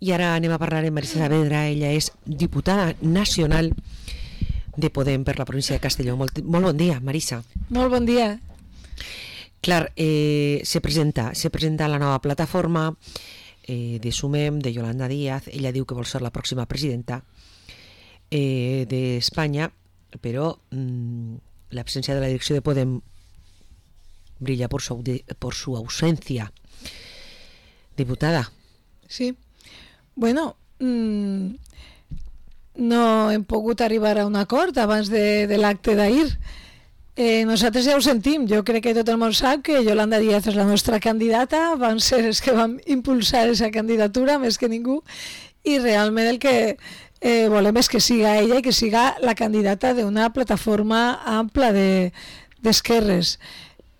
I ara anem a parlar amb Marisa Saavedra. Ella és diputada nacional de Podem per la província de Castelló. Molt bon dia, Marisa. Molt bon dia. Clar, se presenta la nova plataforma de Sumem, de Yolanda Díaz. Ella diu que vol ser la pròxima presidenta d'Espanya, però l'absència de la direcció de Podem brilla por su ausencia. Diputada. Sí. Bueno, no hem pogut arribar a un acord abans de l'acte d'ahir. Nosaltres ja ho sentim. Jo crec que tot el món sap que Yolanda Díaz és la nostra candidata. Van ser els que vam impulsar aquesta candidatura més que ningú, i realment el que volem és que siga ella i que siga la candidata d'una plataforma ampla d'esquerres.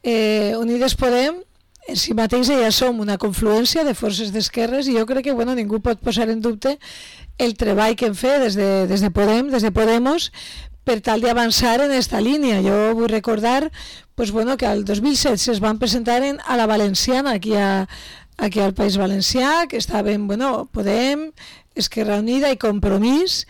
Unides Podem en si mateixa ja som una confluència de forces d'esquerres, i jo crec que ningú pot posar en dubte el treball que hem fet des de Podem, des de Podemos, per tal d'avançar en aquesta línia. Jo vull recordar que al 2016 es van presentar a la Valenciana, aquí al País Valencià, que estaven Podem, Esquerra Unida i Compromís,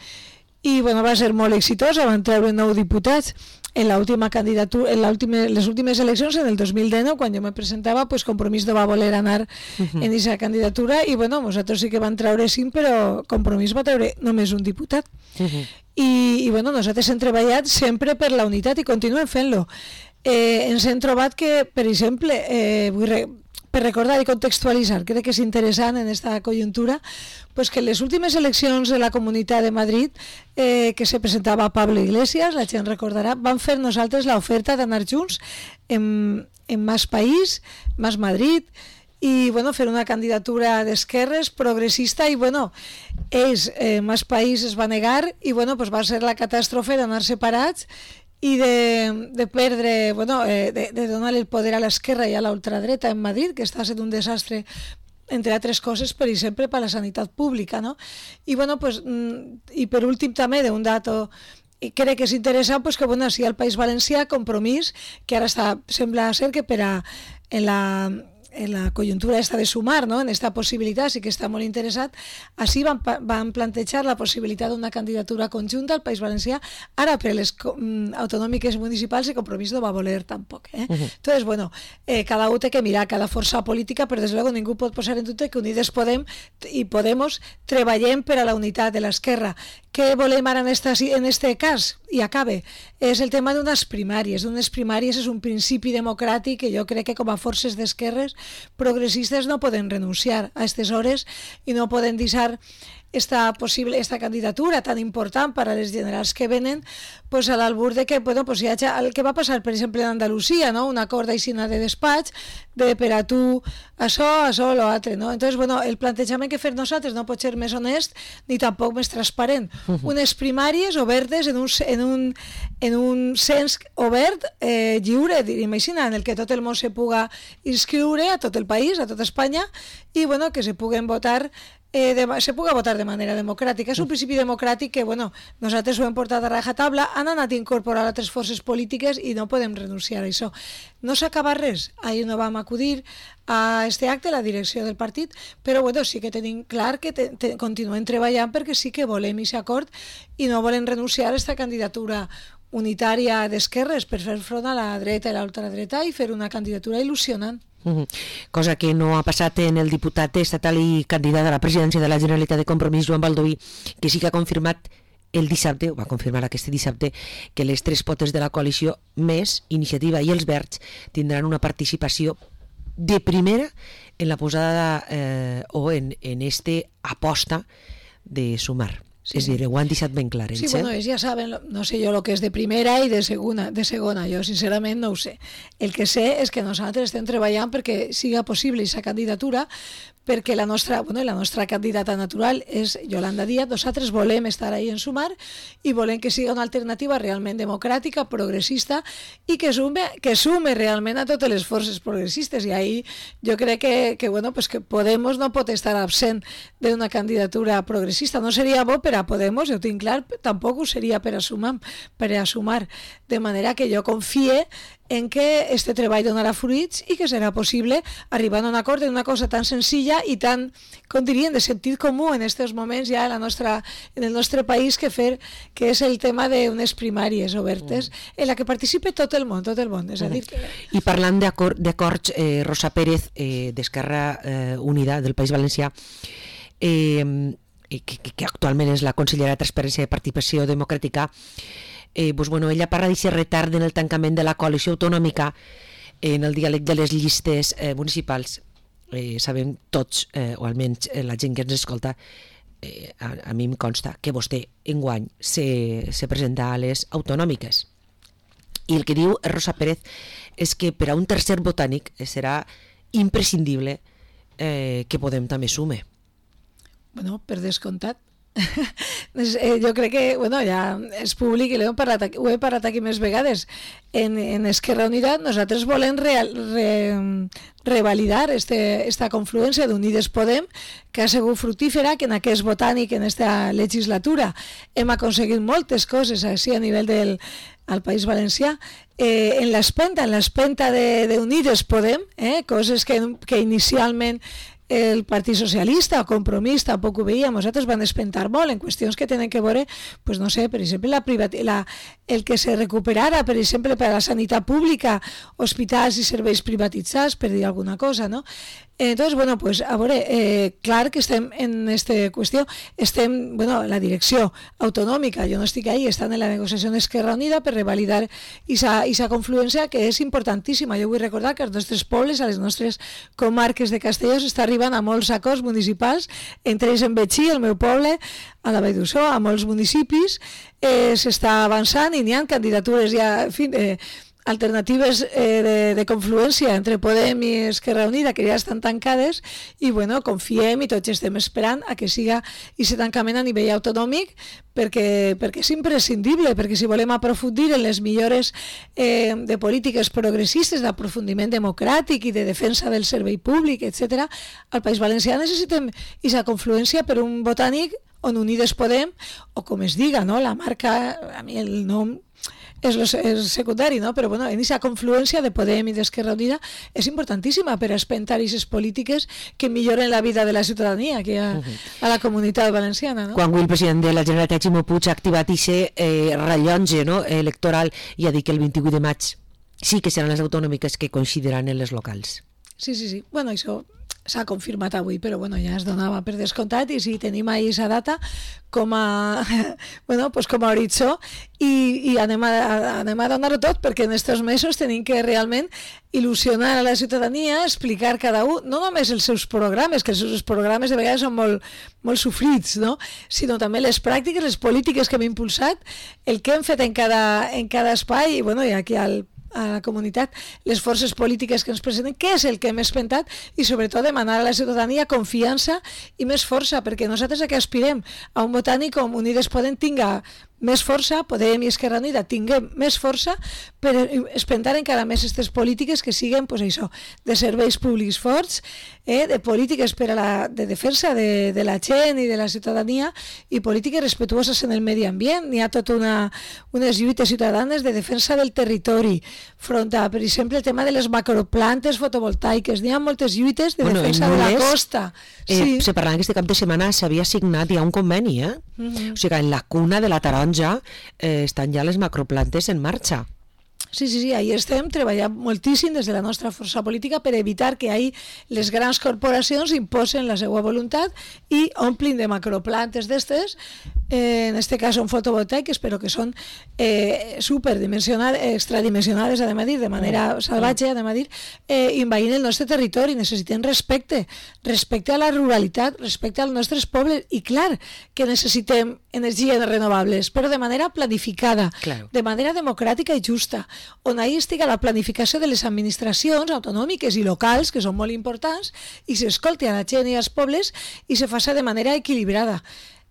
i va ser molt exitosa, van treure 9 diputats. En l'última candidatura, les últimes eleccions, en el 2019, quan jo me presentava, Compromís no va voler anar en aquesta candidatura, i nosaltres sí que van treure 5, però Compromís va treure només un diputat. I nosaltres hem treballat sempre per la unitat i continuem fent-lo. Ens hem trobat que, per exemple, per recordar i contextualitzar, crec que és interessant en aquesta conjuntura, que les últimes eleccions de la Comunitat de Madrid, que se presentava Pablo Iglesias, la gent recordarà, van fer nosaltres l'oferta d'anar junts en Más País, Más Madrid, i fer una candidatura d'esquerres progressista, i ells, Más País, es va negar, i va ser la catàstrofe d'anar separats i de perdre, de donar el poder a l'esquerra i a la ultradreta en Madrid, que està sent un desastre, entre altres coses, per exemple, per la sanitat pública, no? I per últim també d'un dato, crec que és interessant que si al País Valencià Compromís, que ara sembla ser que en la conjuntura esta de sumar, no? En esta possibilitat sí que està molt interessat. Així van plantejar la possibilitat d'una candidatura conjunta al País Valencià. Ara per les autonòmiques municipals i Compromís no va voler tampoc. Entonces, cada un té que mirar, cada força política, però des de luego ningú pot posar en dubte que Unides Podem i Podemos treballem per a la unitat de l'esquerra. Què volem ara en este cas? I acabe. És el tema d'unes primàries. Unes primàries és un principi democràtic que jo crec que com a forces d'esquerres progressistes no poden renunciar a aquestes hores i no poden deixar esta candidatura tan important per a les generals que venen a l'albur de que hi hagi el que va passar, per exemple, en Andalusia, no? Un acord d'aixina de despatx per a tu això, l'altre, no? Entonces, el plantejament que fem nosaltres no pot ser més honest ni tampoc més transparent. Unes primàries obertes en un cens obert, lliure, diríem així, en el que tot el món se puga inscriure, a tot el país, a tota Espanya, i que se puguen votar se puga votar de manera democràtica. És un principi democràtic que nosaltres ho hem portat a rajatabla, han anat a incorporar altres forces polítiques i no podem renunciar a això. No s'acaba res. Ahir no vam acudir a este acte, la direcció del partit, però sí que tenim clar que continuem treballant perquè sí que volem aquest acord i no volem renunciar a aquesta candidatura unitària d'esquerres per fer front a la dreta i a l'ultradreta i fer una candidatura il·lusionant. Cosa que no ha passat en el diputat estatal i candidat a la presidència de la Generalitat de Compromís, Joan Baldoví, que sí que ha confirmat el dissabte, o va confirmar aquest dissabte, que les 3 potes de la coalició, més Iniciativa i els Verds, tindran una participació de primera en la posada o en aposta de sumar. Sí. És a dir, ho han deixat ben clar. Sí, ells ja saben, no sé jo el que és de primera i de segona, jo sincerament no ho sé. El que sé és que nosaltres estem treballant perquè siga possible aquesta candidatura, perquè la nostra candidata natural és Yolanda Díaz. Nosaltres volem estar ahí en Sumar i volem que siga una alternativa realment democràtica, progressista i que sume realment a totes les forces progressistes, i ahí jo crec que Podemos no pot estar absent d'una candidatura progressista. No seria bo per a Podemos, jo tinc clar, tampoc ho seria per a sumar. De manera que jo confie en que este treball donarà fruits i que serà possible arribar a un acord en una cosa tan senzilla i tan, com dirien, de sentit comú en aquests moments ja en el nostre país, que és el tema d'unes primàries obertes en la que participi tot el món. És a dir que... I parlant d'acords, Rosa Pérez, d'Esquerra Unida del País Valencià, que actualment és la consellera de Transparència i Participació Democràtica, ella parla d'aquest retard en el tancament de la coalició autonòmica en el diàleg de les llistes municipals. Sabem tots, o almenys la gent que ens escolta, a mi em consta que vostè enguany se presenta a les autonòmiques. I el que diu Rosa Pérez és que per a un tercer botànic serà imprescindible que Podem també sume. Bueno, per descomptat. Jo crec que ja és públic i ho he parlat aquí més vegades. En Esquerra Unida nosaltres volem revalidar esta confluència d'Unides Podem, que ha sigut fructífera, que en aquest botànic, en aquesta legislatura, hem aconseguit moltes coses així a nivell al País Valencià. En l'espenta d'Unides Podem, coses que inicialment el Partit Socialista o Compromís tampoc ho veia, nosaltres van espentar molt en qüestions que tenen que veure, pues no sé, per exemple, el que se recuperara, per exemple, per a la sanitat pública, hospitals i serveis privatitzats, per dir alguna cosa, no? Entonces, pues a veure, clar que estem en aquesta qüestió, la direcció autonòmica, jo no estic ahí, estan en la negociació d'Esquerra Unida per revalidar aquesta confluència que és importantíssima. Jo vull recordar que als nostres pobles, a les nostres comarques de Castelló, s'està arribant a molts acords municipals, entre ells en Betxí, el meu poble, a la Vall d'Uixó, a molts municipis, s'està avançant i n'hi ha candidatures ja, en fi, alternatives de confluència entre Podem i Esquerra Unida que ja estan tancades i confiem i tots estem esperant a que siga aquest tancament a nivell autonòmic perquè és imprescindible, perquè si volem aprofundir en les millores de polítiques progressistes, d'aprofundiment democràtic i de defensa del servei públic, etc., al País Valencià necessitem aquesta confluència per un botànic on Unides Podem, o com es diga, no? La marca, a mi el nom és secundari, no? Però en aquesta confluència de Podem i d'Esquerra Unida és importantíssima per espentar aquestes polítiques que milloren la vida de la ciutadania aquí a la comunitat valenciana, no? Quan avui el president de la Generalitat, Ximo Puig, ha activat aquest rellotge electoral i ha dit que el 28 de maig sí que seran les autonòmiques que coincidiran en les locals. Sí. Això s'ha confirmat avui, però ja es donava per descomptat i sí, tenim ahí aquesta data com a horitzó i anem a donar-ho tot perquè en aquests mesos tenim que realment il·lusionar a la ciutadania, explicar cada un, no només els seus programes, que els seus programes de vegades són molt sofrits, no? Sinó també les pràctiques, les polítiques que hem impulsat, el que hem fet en cada espai i aquí a la comunitat, les forces polítiques que ens presenten, què és el que hem espentat i sobretot demanar a la ciutadania confiança i més força, perquè nosaltres a què aspirem? A un botànic com Unides Podem tinga més força, Podem i Esquerra Unida tinguem més força per espentar encara més aquestes polítiques que siguin de serveis públics forts, de polítiques de defensa de la gent i de la ciutadania i polítiques respetuoses en el medi ambient. N'hi ha tota unes lluites ciutadanes de defensa del territori front a, per exemple, el tema de les macroplantes fotovoltaiques. N'hi ha moltes lluites de defensa de la costa. Se parlava que aquest cap de setmana s'havia signat ja un conveni, o sigui que en la cuna de la Taronja estan ja les macroplantes en marxa. Sí, ahí estem treballant moltíssim des de la nostra força política per evitar que ahí les grans corporacions imposen la seva voluntat i omplin de macroplantes d'estes, en este cas són fotovoltaiques, però que són extradimensionades, de manera salvatge, envaint el nostre territori. Necessitem respecte a la ruralitat, respecte als nostres pobles, i clar que necessitem energies renovables, però de manera planificada, de manera democràtica i justa, on ahí estigui la planificació de les administracions autonòmiques i locals, que són molt importants, i s'escolti a la gent i als pobles i se faci de manera equilibrada.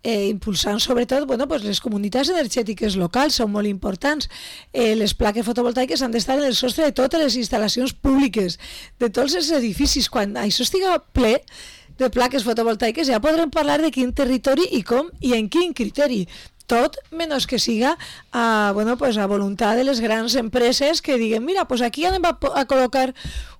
Impulsant sobretot les comunitats energètiques locals són molt importants. Les plaques fotovoltaiques han d'estar en el sostre de totes les instal·lacions públiques, de tots els edificis. Quan això estiga ple, de plaques fotovoltaiques, ja podrem parlar de quin territori i com i en quin criteri. Tot menys que siga a voluntat de les grans empreses que diguen, mira, pues aquí anem a col·locar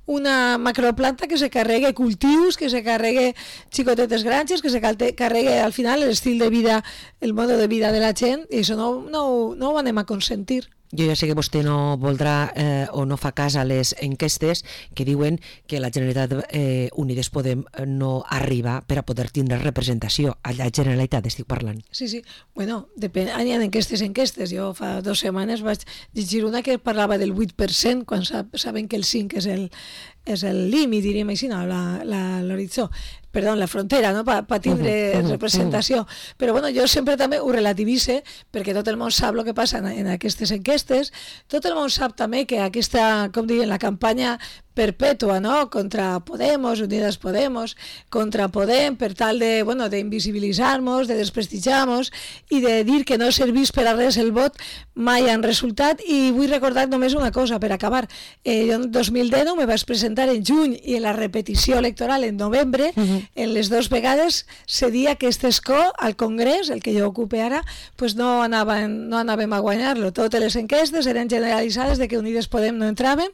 una macroplanta que se carregue cultius, que se carregue xicotetes granges, que se carregue al final l'estil de vida, el mode de vida de la gent, i això no ho anem a consentir. Jo ja sé que vostè no voldrà o no fa cas a les enquestes que diuen que la Generalitat Unides Podem no arriba per a poder tindre representació. A la Generalitat estic parlant. Sí. Bueno, depèn, hi ha enquestes. Jo fa 2 setmanes vaig llegir una que parlava del 8%, quan saben que el 5 és el límit, diríem així, no, l'horitzó. Perdó, la frontera, no? Per tindre representació. Però bueno, jo sempre també ho relativise, perquè tot el món sap el que passa en aquestes enquestes, tot el món sap també que aquesta, com diuen, la campanya perpètua, no?, contra Podemos, Unidas Podemos, contra Podem, per tal de, d'invisibilitzar-nos, de desprestigiar-nos i de dir que no servís per a res el vot, mai han resultat. I vull recordar només una cosa, per acabar. Jo en 2019 me vaig presentar en juny i en la repetició electoral en novembre, en les 2 vegades cedia que este escó al Congrés, el que jo ocupe ara, pues no anàvem a guanyar-lo. Totes les enquestes eren generalitzades de que Unides Podem no entràvem,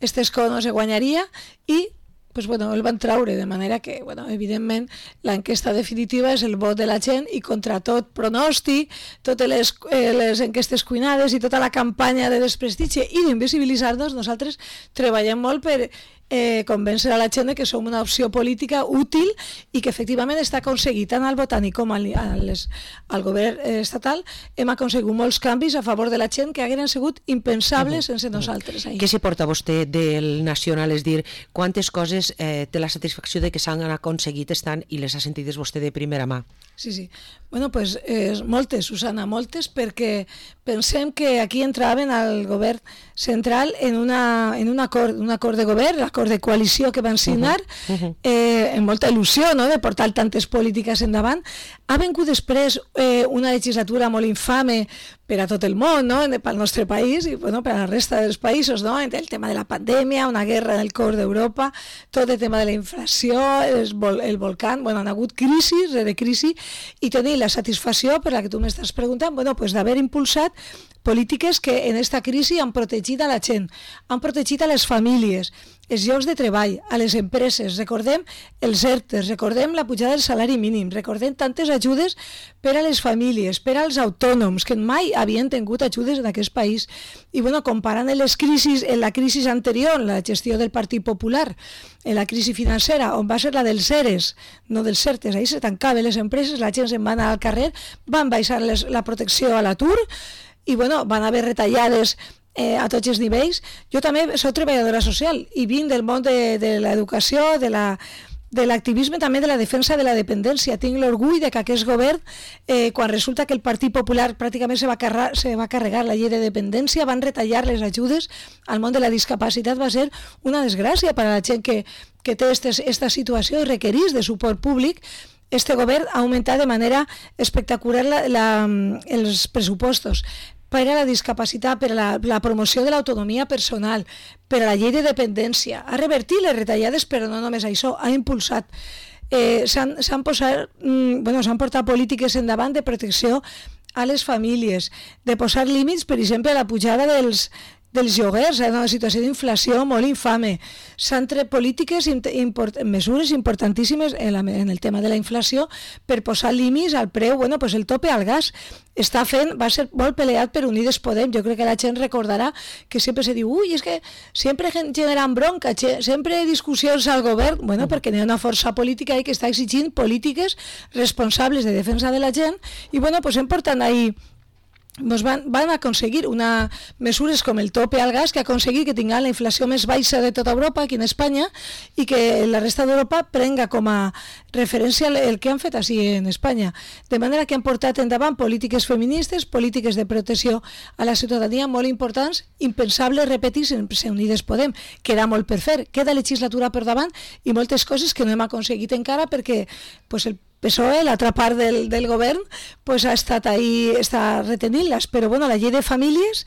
este escó no se guanyaria i el van traure, de manera que, evidentment, l'enquesta definitiva és el vot de la gent i contra tot pronòstic, totes les enquestes cuinades i tota la campanya de desprestigi i d'invisibilitzar-nos, nosaltres treballem molt per convèncer a la gent que som una opció política útil i que efectivament està aconseguit tant al Botànic com al govern estatal. Hem aconseguit molts canvis a favor de la gent que hagueren sigut impensables sense nosaltres. Què s'hi porta vostè del Nacional? És dir, quantes coses té la satisfacció de que s'han aconseguit estan i les ha sentides vostè de primera mà? Sí. Moltes, Susana, moltes, perquè pensem que aquí entraven al govern central en un acord de govern, l'acord de coalició que van signar, amb molta il·lusió, no?, de portar tantes polítiques endavant. Ha vingut després una legislatura molt infame per a tot el món, no?, pel nostre país i per a la resta dels països, no?, el tema de la pandèmia, una guerra en el cor d'Europa, tot el tema de la inflació, el volcán, han hagut crisi rere crisi, i tenir la satisfacció per la que tu m'estàs preguntant, d'haver impulsat polítiques que en aquesta crisi han protegit a la gent, han protegit a les famílies, els llocs de treball, a les empreses. Recordem els ERTEs, recordem la pujada del salari mínim, recordem tantes ajudes per a les famílies, per als autònoms, que mai havien tingut ajudes en aquest país. I comparant les crisis, en la crisi anterior, la gestió del Partit Popular, en la crisi financera, on va ser la dels ERES, no dels ERTEs, ahir se tancaven les empreses, la gent se'n va anar al carrer, van baixar la protecció a l'atur, i van haver retallades a tots els nivells. Jo també soc treballadora social i vinc del món de l'educació, de l'activisme, també de la defensa de la dependència. Tinc l'orgull de que aquest govern, quan resulta que el Partit Popular pràcticament se va carregar la llei de dependència, van retallar les ajudes al món de la discapacitat, va ser una desgràcia per a la gent que té aquesta situació i requereix de suport públic. Este govern ha augmentat de manera espectacular els pressupostos per a la discapacitat, per a la promoció de l'autonomia personal, per a la llei de dependència. Ha revertit les retallades, però no només això, ha impulsat. S'han portat polítiques endavant de protecció a les famílies, de posar límits, per exemple, a la pujada dels lloguers, en una situació d'inflació molt infame. S'han tret polítiques, mesures importantíssimes en el tema de la inflació per posar límits al preu, el tope al gas. Va ser molt peleat per Unides Podem. Jo crec que la gent recordarà que sempre se diu, és que sempre generan bronca, sempre discussions al govern, perquè hi ha una força política que està exigint polítiques responsables de defensa de la gent i hem portat ahí van aconseguir mesures com el tope al gas, que ha aconseguit que tinguin la inflació més baixa de tota Europa, aquí en Espanya, i que la resta d'Europa prenga com a referència el que han fet així en Espanya. De manera que han portat endavant polítiques feministes, polítiques de protecció a la ciutadania molt importants, impensables repetir sense Unides Podem. Queda molt per fer, queda legislatura per davant i moltes coses que no hem aconseguit encara perquè el PSOE, l'altra part del govern, ha estat ahí, està retenint-les, però la llei de famílies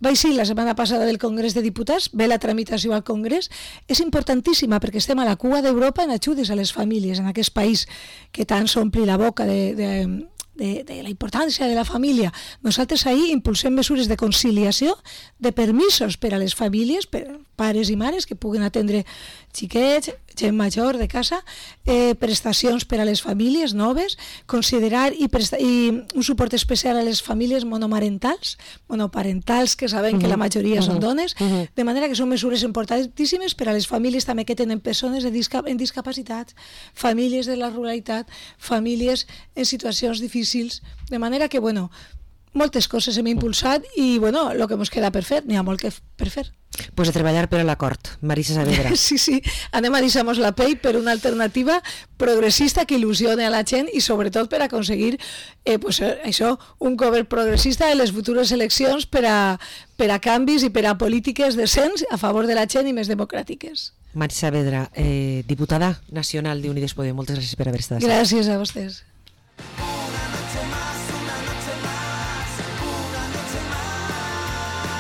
vaig ser la setmana passada del Congrés de Diputats, ve la tramitació al Congrés, és importantíssima perquè estem a la cua d'Europa en ajudes a les famílies, en aquest país que tant s'ompli la boca de la importància de la família. Nosaltres ahir impulsem mesures de conciliació, de permisos per a les famílies, per pares i mares que puguen atendre xiquets, gent major de casa, prestacions per a les famílies noves, considerar i un suport especial a les famílies monomarentals, monoparentals, que sabem que la majoria són dones, de manera que són mesures importantíssimes per a les famílies també que tenen persones en discapacitats, famílies de la ruralitat, famílies en situacions difícils, de manera que, bueno, moltes coses hem impulsat i, bueno, el que ens queda per fer, n'hi ha molt que per fer. Pues a treballar per a l'acord, Marisa Saavedra. Sí, anem a deixar-nos la pell per una alternativa progressista que il·lusione a la gent i sobretot per aconseguir això, un govern progressista en les futures eleccions per a canvis i per a polítiques decents a favor de la gent i més democràtiques. Marisa Saavedra, diputada nacional d'Unides Podem, moltes gràcies per haver estat. Gràcies a vostès.